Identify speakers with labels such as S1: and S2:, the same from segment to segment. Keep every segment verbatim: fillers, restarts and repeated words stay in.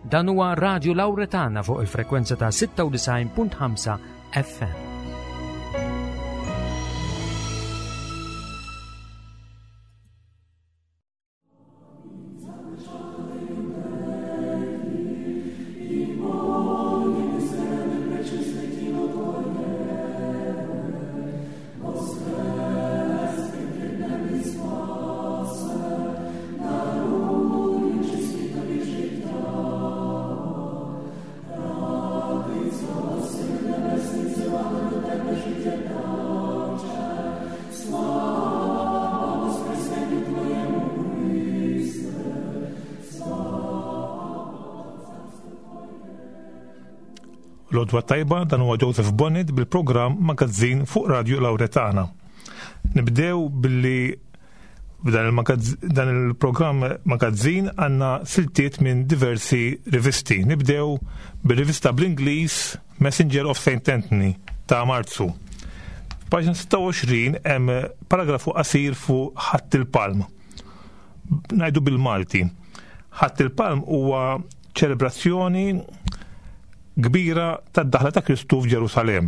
S1: Dan huwa Radio Lauretana fuq il-frekwenza ta' sitta u disgħin punt ħamsa F M.
S2: L-għodwa t-tajba, dan huwa Joseph Bonnet bil-programm Magazzin fuq Radio Lauretana. Nibdew billi dan il-programm Magazzin għandna siltiet minn diversi rivisti. Nibdew bil-rivista bl-Ingliż Messenger of Saint Anthony ta' Marzu. Paġna sitta u għoxrin hemm paragrafu qasir fuq Ħadd il-Palm. Ngħidu bil-Malti. Ħadd il-Palm huwa ċelebrazzjoni kbira tad-daħla ta' Kristu f'Ġerusalem.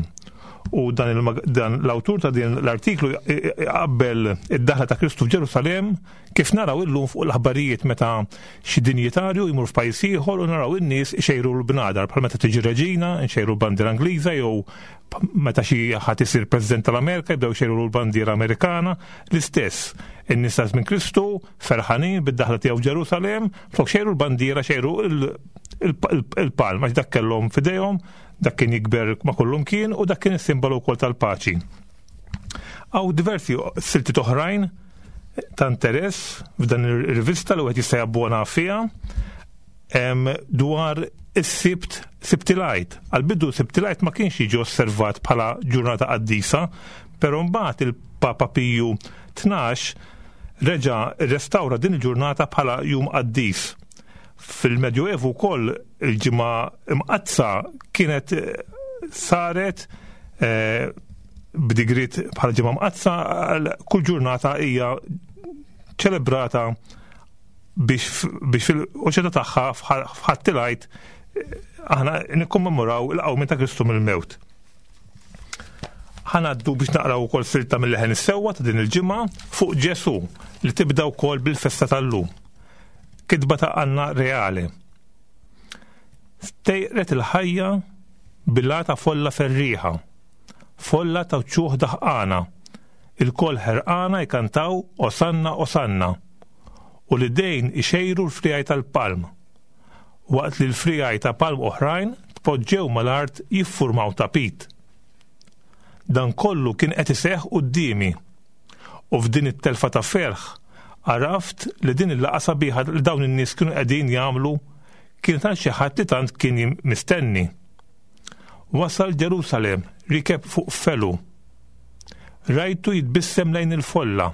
S2: U dan, dan l-awtur ta' din l-artiklu qabbel id-daħla ta' Kristu f'Ġerusalem kif naraw illum fuq l-aħbarijiet, meta xi dinjitarju jmur f'pajjiż ieħor u naraw in-nies ixejru l-bnadar, bħal meta tiġi reġina, nxejru l-bandiera Ingliża, jew meta xi ħadd isir President tal-Amerika jibdew xejru l-bandiera Amerikana. L-istess in-nies ta' żmien Kristu ferħanin bid-daħla tiegħu Ġerusalem, flok xejru l-bandiera xejru il-palm, għax dak kellhom f'idejhom, dak kien jikber ma' kullum kien u dak kien is-simbolu wkoll tal-paċi. Hawn diversi siltiet oħrajn ta' interess f'dan ir-rivista li wieħed jista' jabbona fiha dwar is-Sibt, Sibt il-Għid. Għal-bidu Sibt il-Għid ma kienx jiġi osservat bħala ġurnata qaddisa, però mbagħad il-Papa Piju Tnax reġa' restawra din il-ġurnata bħala jum qaddis. Fil-Medjuevu wkoll il-Ġimgħa Imqaddsa kienet eh, saret eh, b'digrit bħala Ġimgħa Mqaddsa. Kull ġurnata hija ċelebrata biex biex fil-oċeta tagħha f'Ħadd il-Għid eh, aħna nikkommemoraw il-qawmien ta' Kristu mill-mewt. Ħa ngħaddu biex naqraw ukoll silta mill-Leħen is-Sewwa ta' din il-ġimgħa fuq Ġesu, li tibda wkoll bil-festa tal-lum. Kitba ta' Anna Reale. Stejqret il-ħajja bil ta' folla ferriħa, folla ta' wċuħ daħqana, ilkoll ħerqana jkantaw "Osanna, Osanna", u l-idejn ixejru l-friegħi tal-palm, waqt li l-friegħi ta' palm oħrajn tpoġġew mal-art jiffurmaw tapit. Dan kollu kien qed iseħħ quddiemi u f'din it-telfa ta' ferħ għaraft li din il-laqgħa sabiħa li dawn in-nies kienu qegħdin jagħmlu kien ta' xi ħadd li tant kien mistenni. Wasal Ġerusalem rikeb fuq felu. Rajtu jitbissem lejn il-folla.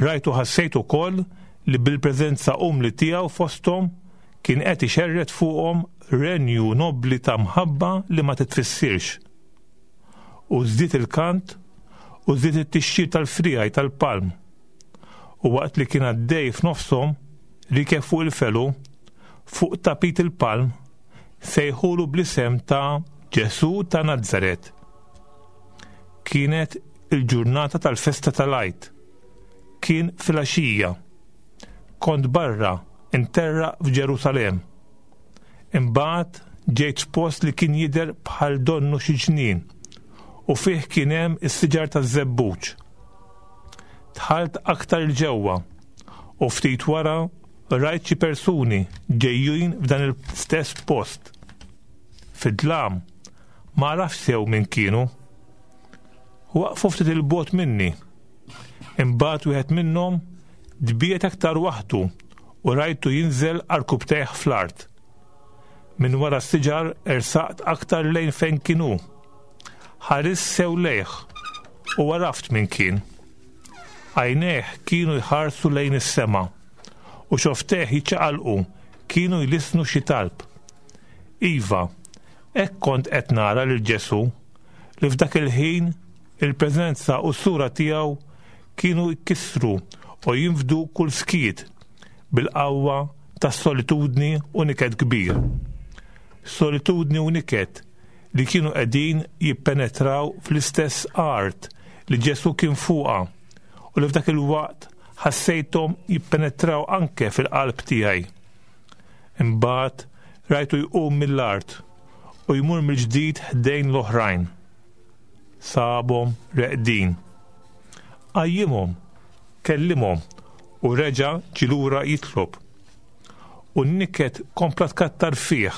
S2: Rajtu, ħassejt ukoll li bil-preżenza umli tiegħu fosthom kien qed ixerred fuqhom renju nobli ta' mħabba li ma titfissirx. U żdied il-kant u żdied it-tixjir tal-friegħi tal-palm. U waqt li kien għaddej f'nofshom rikeb fuq il-felu, fuq tapit il-palm, sejħulu bl-isem ta' Ġesu ta' Nazzaret. Kienet il-ġurnata tal-festa tal-Għid. Kien filgħaxija. Kont barra interra f'Ġerusalem. Imbagħad ġejt f'post li kien jidher bħal donnu xi ġnien u fih kien hemm is-siġar taż-żebbuġ. Dħalt aktar 'il ġewwa u ftit wara rajt xi persuni ġejjin f'dan il-stess post. Fid-dlam ma għaraftx sew min kienu. Waqfu ftit 'il bogħod minni. Imbagħad wieħed minnhom tbiegħed aktar waħdu u rajtu jinżel għarkupptejh fl-art. Minn wara s-siġar ersaqt aktar lejn fejn kienu. Ħarist sew lejh u għaraft min kien. Għajnejh kienu jħarsu lejn is-sema u xofftejh jiċċaqalqu, kienu jlissnu xi talb. Iva, hekk kont qed nara lil Ġesu li f'dak il-ħin il-preżenza u s-sura tiegħu kienu jkissru u jinfdu kull skiet bil-qawwa ta' solitudni u niket kbir. Solitudni u niket li kienu qegħdin jippenetraw fl-istess art li Ġesù kien fuqha u li f'dak il-waqt ħassejthom jippenetraw anke fil-qalb tiegħi. Imbagħad rajtu jqum mill-art u jmur mill-ġdid ħdejn l-oħrajn. Sabhom reqdin. Qajjimhom, kellimhom u reġa' ġie lura jitlob. U n-niket kompla tkattar fih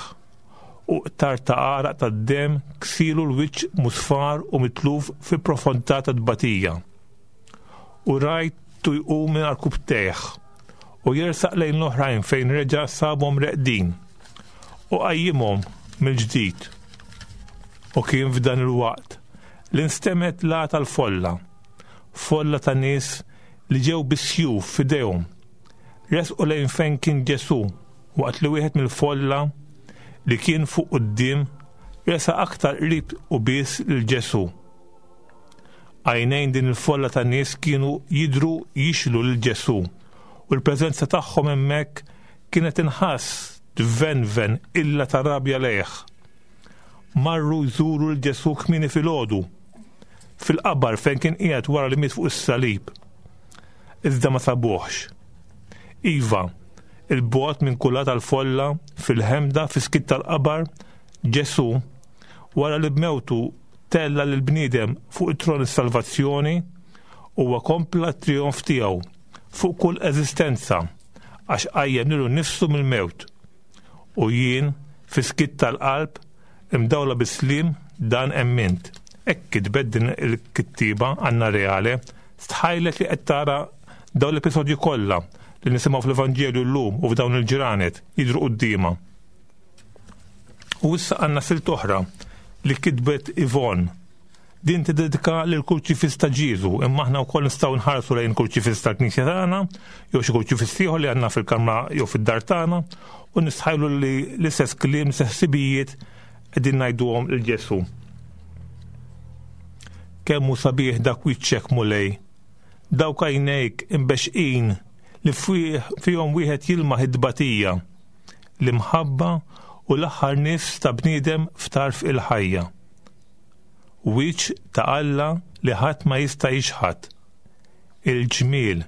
S2: u qtar ta' għaraq tad-demm ksilu l-wiċċ musfar u mitluf fi profondità ta' tbatija. U rajtu jqum minn għarkupptejh u jersaq lejn l-oħrajn fejn reġa' sabhom reqdin u qajjimhom mill-ġdid. U kien f'dan il-waqt li nstemet la tal-folla, folla ta' nies li ġew bis-sjuf f'idejhom. Resqu lejn fejn kien Ġesù waqt li wieħed mill-folla li kien fuq quddiem resaq aktar qrib u bies lil Ġesù. Għajnejn din il-folla ta' nies kienu jidhru jixlu lil Ġesù u l-preżenza tagħhom hemmhekk kienet inħass tvenven illa ta' rabja lejh. Marru jżuru lil Ġesù kmieni filgħodu fil-qabar fejn kien qiegħed wara li miet fuq is-salib. Iżda ma sabuhx. Iva, il-bogħod minn kulla tal-folla fil-ħemda fis-skiet tal-qabar, Ġesù wara li b'mewtu tella lil bniedem fuq it-tron is-salvazzjoni, huwa kompla t-trijonf tiegħu fuq kull eżistenza għax qajjem lilu nnifsu mill-mewt. U jien fis-skiet tal-qalb imdawla bis-slim dan emmint. Hekk kitbet din il-kittiba Anna Reale, stħajlet li qed tara dawn l-episodji kollha li nisimgħu fl-Evanġelju llum u f'dawn il-ġranet jidhru quddiemha. U issa għandna silt oħra li kitbet Yvonne. Din tiddedika lil kurċifiss ta' Ġieżu, imma aħna wkoll nistgħu nħarsu lejn kurċifiss tal-Knisja tagħna jew xi kurċifiss ieħor li għandna fil-kamra jew fid-dar tagħna u nistħajlu li l-istess kliem, l-istess ħsibijiet qegħdin ngħiduhom lil Ġesù. Kemm hu sabiħ dak wiċċek Mulej, dawk għajnejk imbexqin li fihom wieħed jilmaħ id-tbatija, l-imħabba u l-aħħar nifs ta' bniedem f'tarf il-ħajja. Wiċċ ta' Alla li ħadd ma jista' jixħat, il-ġmiel,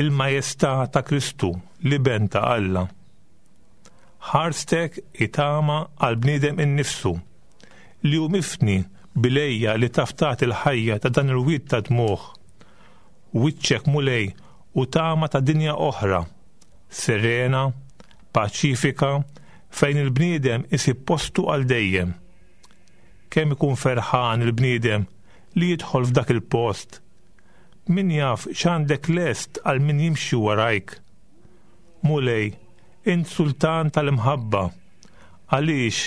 S2: il-majestà ta' Kristu, l-Iben ta' Alla. Ħarstek itama għal bniedem innifsu li hu mifni bilejja li taf tagħti l-ħajja ta' dan il-wied ta' dmugħ. Wiċċek Mulej u tama ta' dinja oħra, serena, paċifika, fejn il-bniedem isib postu għal dejjem. Kemm ikun ferħan il-bniedem li jidħol f'dak il-post. Min jaf x'għandek lest għal min jimxi warajk. Mulej, int sultan tal-imħabba, għaliex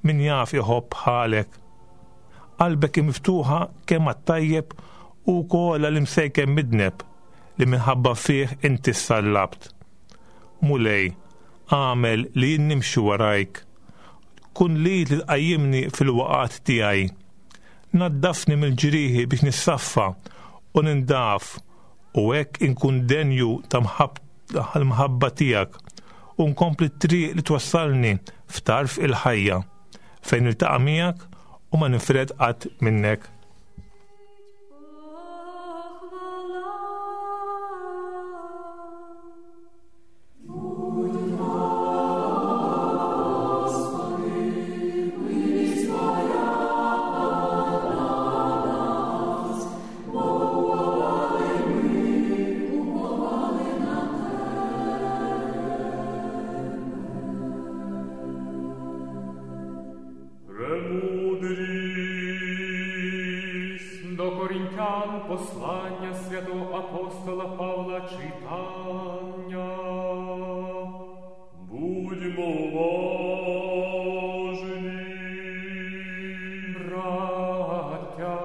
S2: min jaf iħobb bħalek. Qalbek miftuħa kemm għat-tajjeb u wkoll għall-imsejken midneb li minħabba fih inti ssallabt. Mulej, għamel li jien nimxi warajk. Kun li li tqajjimni fil-waqat tiegħi. Naddafni mill-ġrieħi biex nissaffa u nindaf u hekk inkun denju ta' l-mħabba tiegħek u nkompli t-triq li twassalni f'tarf il-ħajja fejn niltaqa' miegħek u ma ninfred qatt minnek.
S3: Послання святого апостола Павла читання.
S4: Будьмо уважні.
S3: Браття,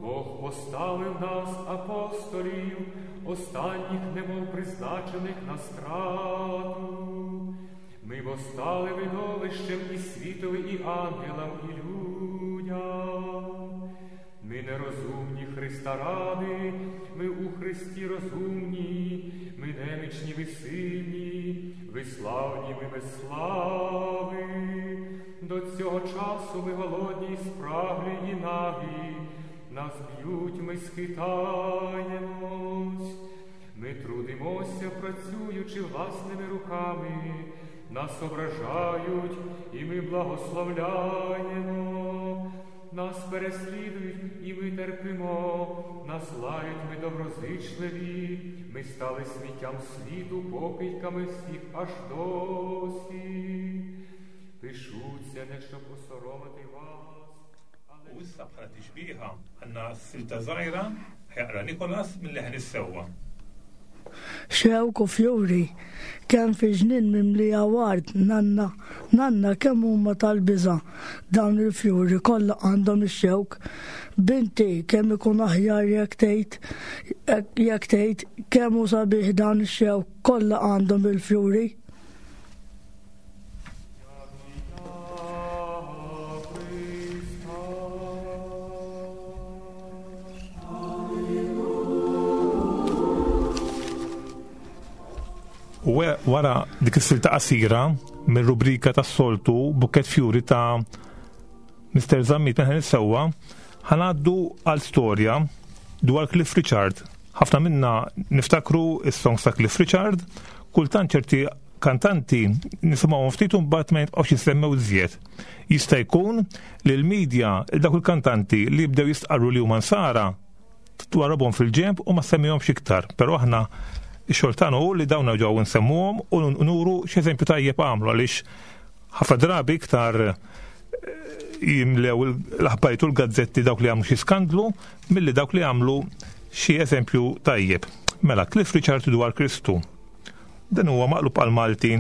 S3: Бог поставив нас, апостолів, останніх немов призначених на страту. Ми бо стали видовищем і світові, і ангелам, і людям. Ми нерозумні Христа ради, ми у Христі розумні, ми немічні, ви сильні, ви славні, ми без слави. До цього часу ми голодні й спраглі і нагі, нас б'ють, ми схитаємось. Ми трудимося, працюючи власними руками, нас ображають, і ми благословляємо. Нас переслідують, і ми терпимо, нас лають, ми доброзичливі, ми стали сміттям світу, покидьками всіх аж досі. Пишуться, не щоб осоромити вас, але...
S2: U issa bħala tixbieha għandna silta żgħira ħa jaqra Nikolas minn Leħen is-Sewwa.
S4: Xewk u fjuri, kemm fi ġnien mimlija ward, nanna, nanna kemm huma tal-biża' dawn il-fjuri kollha għandhom ix-xewk. Binti kemm ikun aħjar jekk tgħid, jekk tgħid kemm hu sabiħ dawn ix-xewk kollha għandhom il-fjuri.
S2: U wara dik is-silta qasira mir-rubrika tas-soltu Bukkett Fjuri ta' Mister Zammit minn Leħen is-Sewwa, ħa ngħaddu għal storja dwar Cliff Richard. Ħafna minna niftakru is-songs ta' Cliff Richard, kultant ċerti kantanti nisimgħuhom ftit u mbagħad ma jibqgħux jissemmew iżjed. Jista' jkun li l-medja dawk il-kantanti li jibdew jistqarru li huma nsara twarabhom fil-ġenb u ma semmihomx iktar, però aħna ix-xogħol tagħna hu li dawn ġew nsemmuhom u nuru x'eżempju tajjeb għamlu, għaliex ħafna drabi iktar jimlew l-aħbarijiet u l-gazzetti dawk li għamlu xi skandlu milli dawk li għamlu xi eżempju tajjeb. Mela, Cliff Richard dwar Kristu. Dan huwa maqlub għal Malti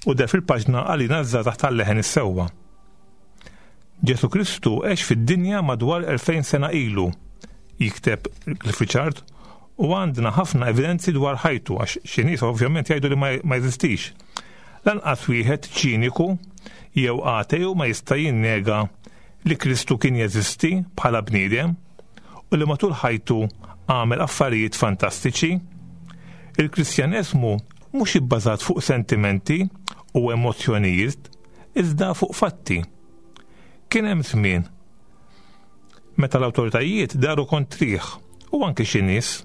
S2: u der fil-paġna għalina żgħażagħ tal-Leħen is-Sewwa. Ġesu Kristu għex fid-dinja madwar elfejn sena ilu, jikteb Cliff Richard, u għandna ħafna evidenzi dwar ħajtu, għax xi nies ovvjament jgħidu li ma jeżistix. Lanqas wieħed ċiniku jew ateju ma jista' jinnega li Kristu kien jeżisti bħala bniedem u li matul ħajtu għamel affarijiet fantastiċi. Il-Kristjaneżmu mhux ibbażat fuq sentimenti u emozzjonijiet, iżda fuq fatti. Kien hemm żmien meta l-awtoritajiet daru kontrih u anke xi nies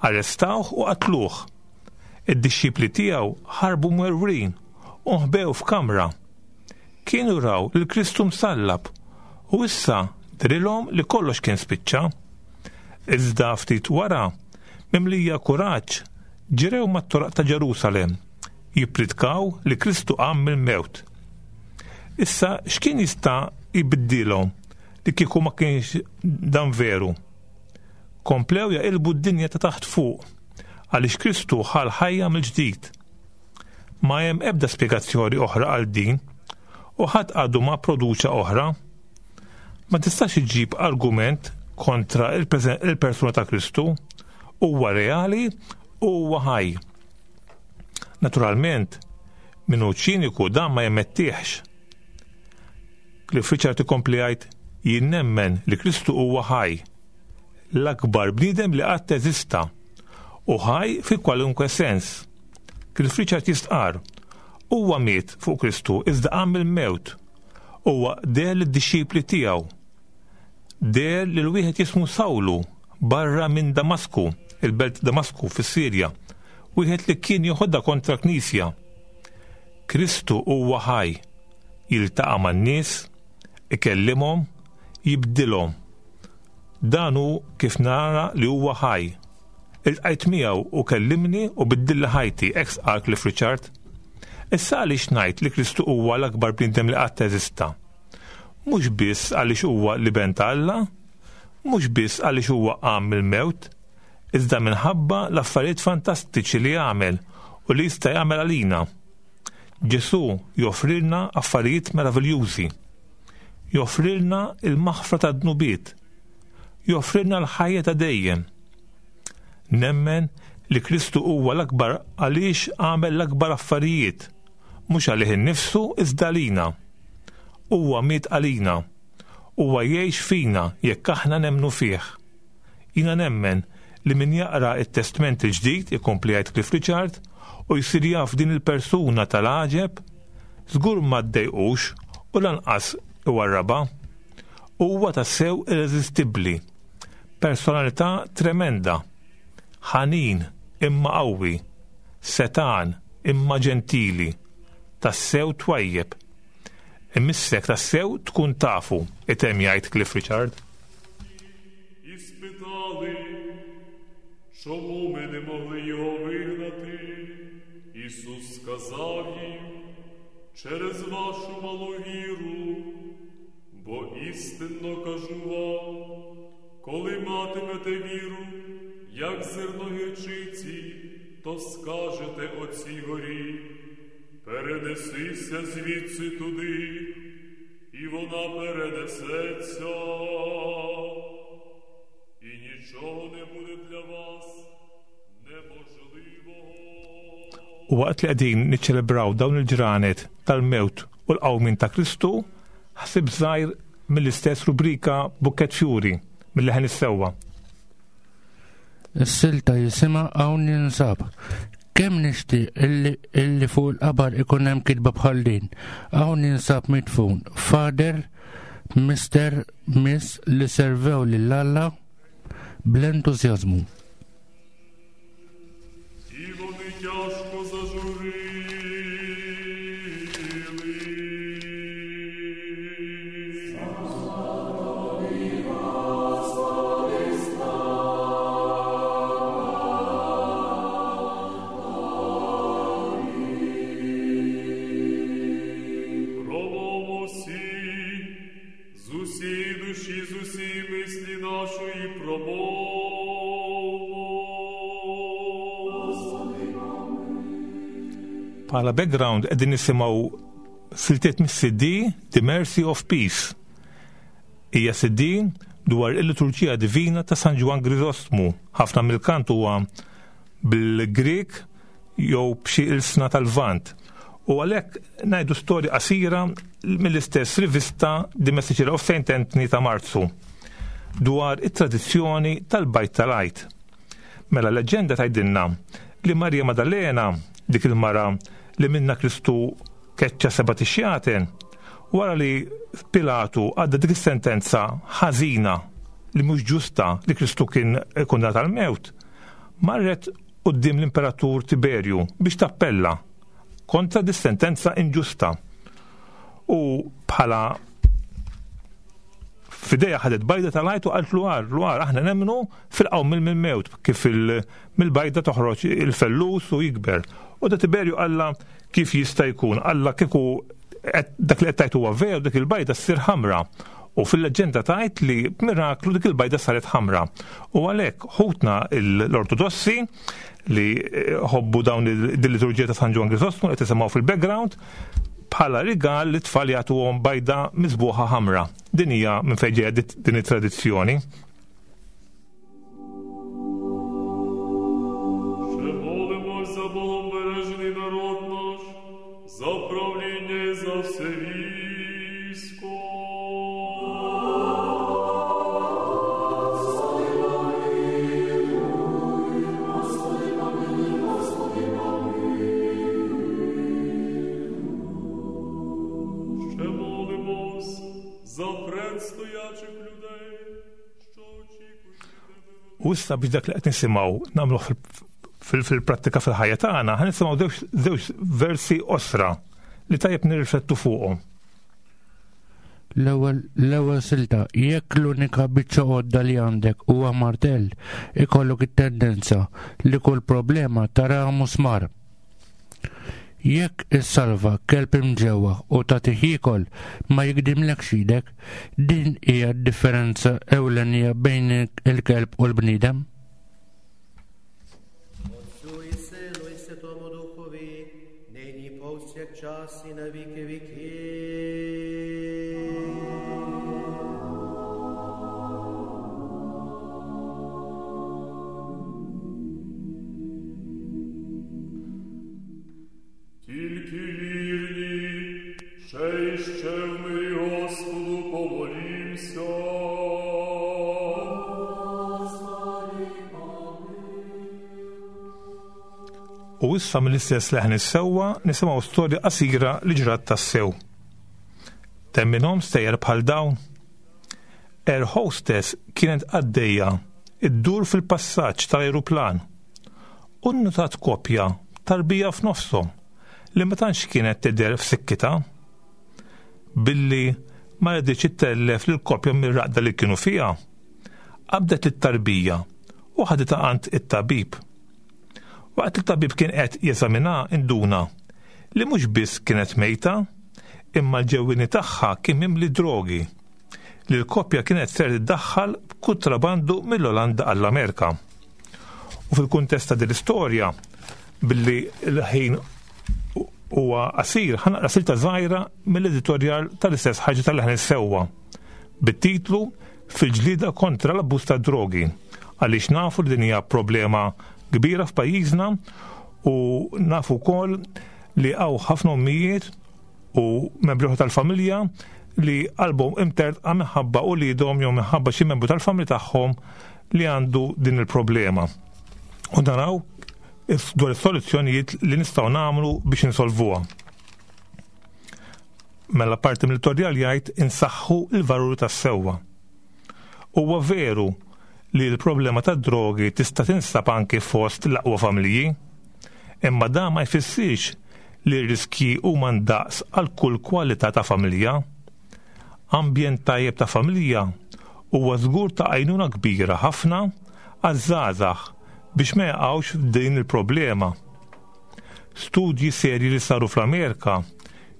S2: arrestawh u qatluh. Id-dixxipli tiegħu ħarbu mwerwrin u nħbew f'kamra. Kienu raw lil Kristu msallab u issa drilhom li kollox kien spiċċa. Iżda ftit wara, mimlija kuraġġ, ġrew mat-toroq ta' Ġerusalem jippritkaw li Kristu qam mill-mewt. Issa x'kien jista' jbiddilhom li kieku ma kienx dan veru? Komplew jaqilbu d-dinja ta' taħt fuq għaliex Kristu ħa l-ħajja mill-ġdid. Ma hemm ebda spjegazzjoni oħra għal din u ħadd għadu ma produċa oħra. Ma tistax iġġib argument kontra il-persuna ta' Kristu, huwa reali u huwa ħaj. Naturalment, min hu ċiniku dan ma jemmettieħx. Cliff Richard ikompli jgħid, jien nemmen li Kristu huwa ħaj, l-akbar bniedem li qatt eżista, u ħaj fi kwalunkwe sens. Cliff Richard jistqarr, huwa miet fuq Kristu iżda qam mill-mewt. Huwa deher lid-dixxipli tiegħu. Deher lil wieħed jismu Sawlu barra minn Damasku, il-belt Damasku fis-Sirja, wieħed li kien joħodha kontra knisja. Kristu huwa ħaj, jiltaqa' man-nies, ikellimhom, jibdilhom. Dan hu kif nara li huwa ħaj. Iltqajt miegħu u kellimni u biddilli ħajti, ex qal Cliff Richard. Issa għaliex ngħid li Kristu huwa l-akbar bniedem li qatt eżista? Mhux biss għaliex huwa l-Iben ta' Alla, mhux biss għaliex huwa qam mill-mewt, iżda minħabba l-affarijiet fantastiċi li għamel u li jista' jagħmel għalina. Ġesù joffrilna affarijiet meraviljużi. Joffrilna il-maħfra ta' dnubiet. Joffrilna l-ħajja ta' dejjem. Nemmen li Kristu huwa l-akbar għaliex għamel l-akbar affarijiet, mhux għalih innifsu iżda għalina. Huwa miet għalina Huwa jgħix fina jekk aħna nemmnu fih. Jiena nemmen li min jaqra it-Testment il-Ġdid, ikompli jgħid Cliff Richard, u jsir jaf din il-persuna tal-għaġeb, żgur ma ddejqux u lanqas iwarrabha. Huwa tassew irreżistibbli, personalità tremenda, ħanin imma qawwi, setan imma ġentili, tassew twajjeb. Imissek tassew tkun tafu, itemm jgħid Cliff Richard.
S3: І спитали, чому ми не могли його вигнати? Ісус сказав їм, через вашу малу віру, бо істинно кажу вам, коли матимете віру, як зерно гірчиці, то скажете оцій горі, перенесися звідси туди, і вона перенесеться. І нічого не буде для вас неможливого.
S2: U waqt li qegħdin niċċelebraw dawn il-ġranet tal-mewt u l-qawmien ta' Kristu, ħsib żgħir mill-istess rubrika Bukkett Fjuri mill-leħen is-sewwa.
S5: Is-silta jisimha Hawn Ninsab. Kemm nixtieq illi, illi fuq il-qabar ikun hemm kitba bħal din. Hawn ninsab midfun. Father, Mister, Miss li servew lil Alla bl-entużjażmu.
S3: І вони тяжко зажурились. Промовмо всі, з усієї душі, з усієї мислі нашої промовмо.
S2: Bħala background qegħdin nisimgħu siltiet mis-C D The Mercy of Peace. Hija C D dwar il-liturġija divina ta' San Ġwann Griżostmu. Ħafna mill-kant huwa bil-Grek jew b'xi ilsna tal-Lvant. U għalhekk ngħidu storja qasira mill-istess rivista The Messenger of Saint Anthony ta' Marzu dwar it-tradizzjoni tal-Bajt tal-Għid. Mela leġenda tgħidilna li Marija Maddalena, dik il-mara li minna Kristu keċċa seba' tixjaten, wara li Pilatu għadda dik is-sentenza ħażina li mhux ġusta li Kristu kien kundannat għall-mewt, marret quddiem l-Imperatur Tiberju biex tappella kontra dis sentenza inġusta. U bħala f'idejha ħadet bajda tal-Għid u qalt l-għar, l-għar aħna nemmnu fil-qawm mill-mewt kif il-, mill-bajda toħroġ il-fellus u jikber. U da Tiberju qalla kif jista' jkun, qalla kieku dak li qed tgħid huwa veru, dik il-bajda ssir ħamra. U fil-leġenda tgħid li b'miraklu dik il-bajda saret ħamra. U għalhekk ħutna l-Ortodossi li ħobbu dawn il-liturġija ta' San Ġwann Griżostmu qed isimgħu fil-background bħala rigal li tfal jagħtuhom bajda miżbuħa ħamra. Din hija minn fejn ġejja din it-tradizzjoni.
S3: Ще молимось за Богом бережений народ наш, за правління і за все військо. Ще молимось за предстоячих людей, що очікують тебе.
S2: U issa biex dak li qed nisimgħu nagħmluh fil-, fil-prattika fil-ħajja tagħna, ħa nisimgħu żewġ versi qosra li tajjeb nirriflettu fuqhom.
S5: L-ewwel, l-ewwel silta, jekk l-unika biċċa għodda li għandek huwa martell, ikollok it-tendenza li kull problema taraha musmar. Jekk issalva kelb imġewwa u tagħtih jiekol ma jikdimlekx idek, din hija d-differenza ewlenija bejn il-kelb u l-bniedem.
S6: Отцю і Сину і Святому Духові, нині повсякчас і на віки віків.
S3: Тільки вірні, ще і ще в мирі Господу помолімся. Помолимся.
S2: U issa mill-istess leħen is-sewwa nisimgħu storja qasira li ġrat tassew. Temminhom stejjer bħal dawn. Air hostess kienet għaddejja iddur fil-passaġġ tal-ajruplan u nnutat kopja tarbija f'nofshom li ma tantx kienet tidher f'sikkitha. Billi ma riditx ittellef lill-kopja mir-raqda li kienu fiha, qabdet it-tarbija u ħaditha għand it-tabib. Waqt il-tabib kien qed jeżaminha induna li mhux biss kienet mejta, imma l-ġewwieni tagħha kien mimli drogi li l-koppja kienet ser tiddaħħal b'kuntrabandu mill-Olanda għall-Amerika. U fil-kuntest ta' din l-istorja, billi l-ħin huwa qasir, ħa naqra silta żgħira mill-editorjal tal-istess ħaġa tal-leħen is-sewwa bit-titlu Fil-ġlieda kontra l-abbuż tad-drogi, għaliex nafu li din hija problema kbira f'pajjiżna u nafu wkoll li hawn ħafna ommijiet u membri oħra tal-familja li qalbhom imtertqa minħabba uliedhom jew minħabba xi membru tal-familja tagħhom li għandu din il-problema. U naraw dwar is-soluzzjonijiet li nistgħu nagħmlu biex insolvuha. Mela parti mill-editorjal jgħid insaħħu l-valuri tas-sewwa. Huwa veru li l-problema tad-drogi tista' tinsab anki fost l-aqwa familji, imma dan ma jfissirx li r-riskji huma ndaqs għal kull kwalità ta' familja. Ambjent tajjeb ta' familja huwa żgur ta' għajnuna kbira ħafna għaż-żgħażagħ biex ma jaqgħux f'din il-problema. Studji serji li saru fl-Amerika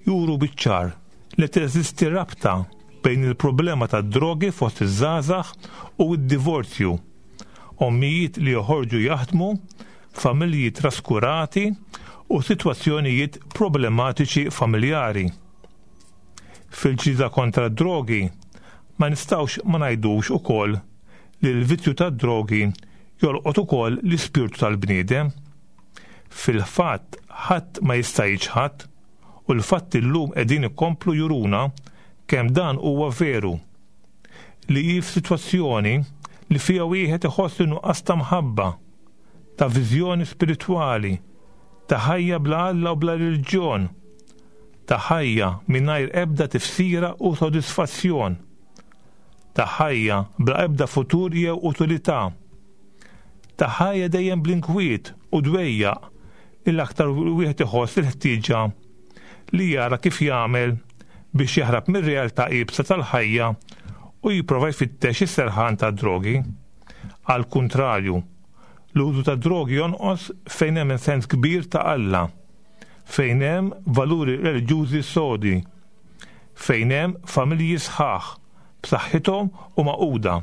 S2: juru biċ-ċar li teżisti rabta bejn il-problema tad-drogi fost iż-żgħażagħ u d-divorzju, ommijiet li joħorġu jaħdmu, familji traskurati u sitwazzjonijiet problematiċi familjari. Fil-ġlieda kontra d-drogi ma nistgħux ma ngħidux ukoll li l-vizzju tad-drogi jolqot ukoll l-ispirtu tal-bniedem. Fil-fatt ħadd ma jista' jiġħad u l-fatt illum qegħdin ikomplu juruna kemm dan huwa veru, li hi f'sitwazzjoni li fiha wieħed iħoss nuqqas ta' mħabba, ta' viżjoni spiritwali, ta' ħajja bla Alla u bla reliġjon, ta' ħajja mingħajr ebda tifsira u sodisfazzjon, ta' ħajja bla ebda futur jew utilità, ta' ħajja dejjem bl-inkwiet u dwejjaq li l-aktar wieħed iħoss il-ħtieġa li jara kif jagħmel biex jaħrab mir-realtà iebsa tal-ħajja u jipprova jfittex is-serħan tad-drogi. Għal kuntrarju, l-użu tad-drogi jonqos fejn hemm sens kbir ta' Alla, fejn hemm valuri reliġjużi sodi, fejn hemm familji sħaħ b'saħħithom u maquda.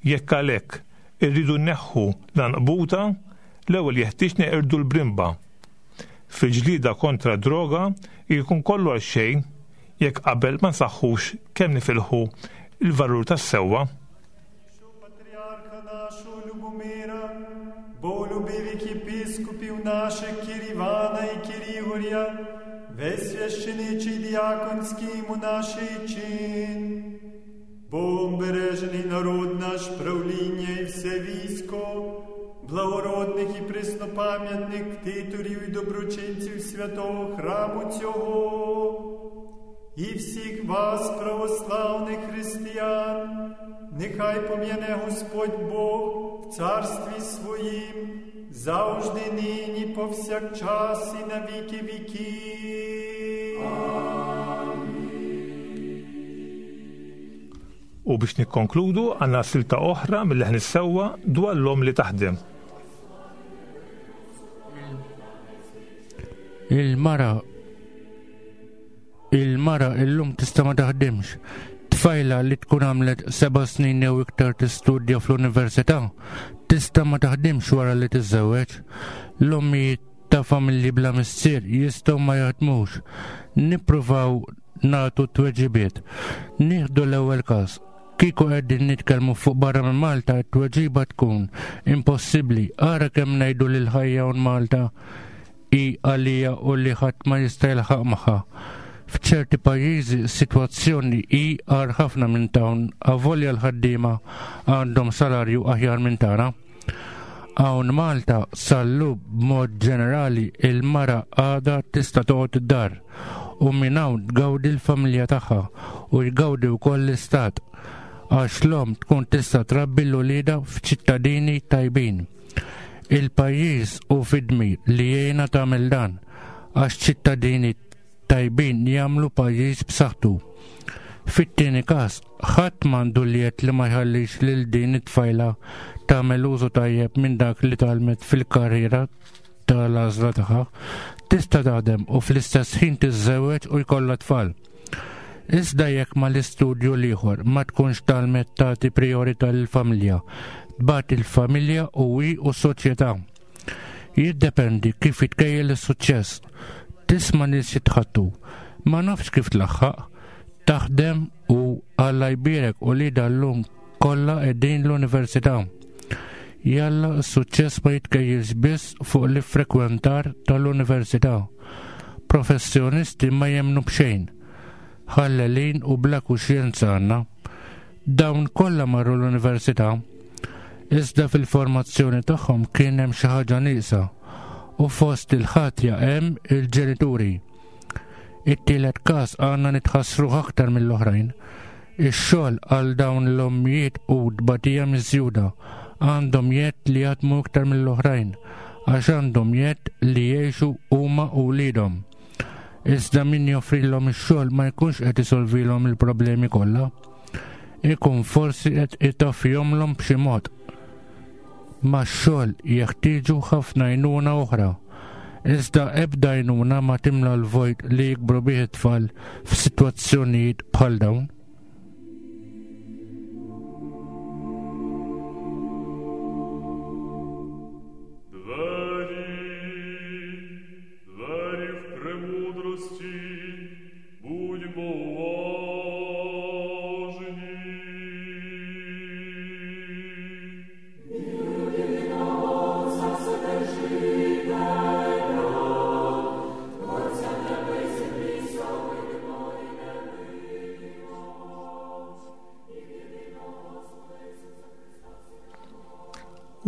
S2: Jekk għalhekk irridu nneħħu l-anqbuta, l-ewwel jeħtieġ neqirdu l-brimba. Fil-ġlieda kontra d-droga jkun kollu għal xejn jekk qabel ma nsaħħux kemm nifilħu il-valur tas-sewwa.
S7: Патріарха нашого Любомира, боголюбивих єпископів наших Кір Івана і Кір Ігоря, весь священичий діаконський і монаший чин, Богом бережений народ наш, правління і все військо, благородних і приснопам'ятних ктиторів і доброчинців святого храму цього, і всіх вас, православних християн, нехай пом'яне Господь Бог в царстві своїм, завжди нині, повсякчас і на віки віків.
S2: U biex nikkonkludu għandna silta oħra mill-leħen is-sewwa dwar l-om li taħdem.
S5: Il-mara Il-mara illum tista' ma taħdimx. Tfajla li tkun għamlet seba' snin jew iktar tistudja fl-università tista' ma taħdimx wara li tiżżewweġ. L-ommijiet ta' familji bla missier jistgħu ma jaħdmux. Nippruvaw nagħtu tweġibiet. Nieħdu l-ewwel każ. Kieku qegħdin nitkellmu fuq barra minn Malta, t-tweġiba tkun impossibbli. Ara kemm ngħidu lil ħajja hawn Malta hi għalija u li ħadd ma jista' jilħaq magħha. F'ċerti pajjiżi s-sitwazzjoni hi agħar ħafna minn dawn, avolja l-ħaddiema għandhom salarju aħjar minn tagħna. Hawn Malta sal-lum b'mod ġenerali il-mara għadha tista' toqgħod id-dar u minn hawn tgawdi l-familja tagħha u jgawdi wkoll l-istat, għax l-omm tkun tista' trabbi l-ulieda f'ċittadini tajbin. Il-pajjiż hu fid-dmir li jgħinha tagħmel dan, għax ċittadini tajbin jagħmlu pajjiż b'saħħtu. Fit-tieni każ, ħadd m'għandu l-jedd li ma jħallix lil din it-tfajla tagħmel użu tajjeb minn dak li tgħallmet fil-karriera tal-għażla tagħha. Tista' taħdem u fl-istess ħin tiżżewweġ u jkollha tfal. Iżda jekk mal-istudju l-ieħor ma tkunx tgħallmet tagħti priorità lill-familja, tbati l-familja u hi u s-soċjetà. Jiddependi kif jitkejjel is-suċċess. Tisma' nies jitħattu, ma nafx kif tlaħħaq, taħdem u Alla jbierek u li dal-lum kollha qegħdin l-università. Jalla s-suċċess ma jitkejjilx biss fuq l-iffrekwentar tal-università. Professjonisti ma jemmnu b'xejn, ħallelin u bla kuxjenza għandna. Dawn kollha marru l-università, iżda fil-formazzjoni tagħhom kien hemm xi ħaġa nieqsa u fost il-ħatja hemm il-ġenituri. It-tielet każ għandna nitħassruh aktar mill-oħrajn. Ix-xogħol għal dawn l-ommijiet u tbatija miżjuda għandhom jedd li jaħdmu iktar mill-oħrajn għax għandhom jedd li jgħixu huma u wliedhom. Iżda min joffrilhom ix-xogħol ma jkunx qed isolvilhom il-problemi kollha. Ikun forsi qed itaffihomlhom b'xi mod. Ma x-xogħol jeħtieġu ħafna għajnuna oħra. Iżda ebda għajnuna ma timla l-vojt li jikbru bih it-tfal f'sitwazzjonijiet bħal dawn.
S3: Двері, двері в премудрості, будьмо уважні.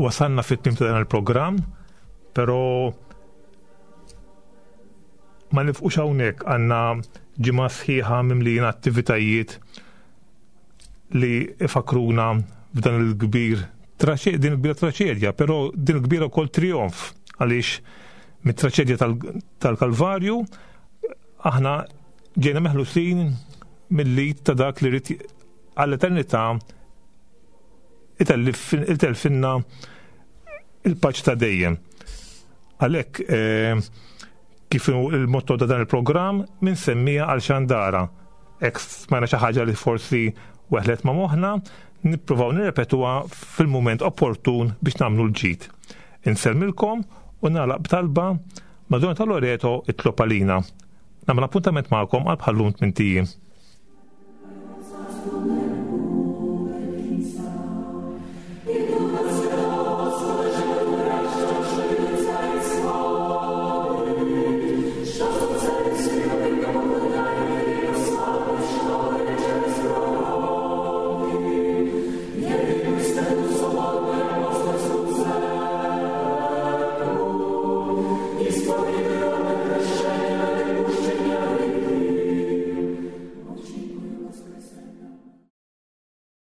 S2: Wasalna fit-tmiem ta' dan il-programm, però ma nifqux hawnhekk, għandna ġimgħa sħiħa mimlijin attivitajiet li ifakruna f'dan il-kbir traċe-, din il-kbira traċedja, però din il-kbira wkoll trionf, għaliex mit-traċedja tal-, tal-Kalvarju aħna ġejna meħlusin mill-lid ta' dak li rid għall-eternità itellfinna il-paċi ta' dejjem. Għalhekk, eh, kif hu il-motto ta' dan il-programm, min semmija għal xandara. Hekk smajna xi ħaġa li forsi weħlet ma' moħħna, nippruvaw nirrepetuha fil-mument opportun biex nagħmlu l-ġid. Insellmilkom u nagħlaq b'talba Madonna ta' Loreto itlob għalina. Nagħmel appuntament magħkom għal bħallum tmint ijiem.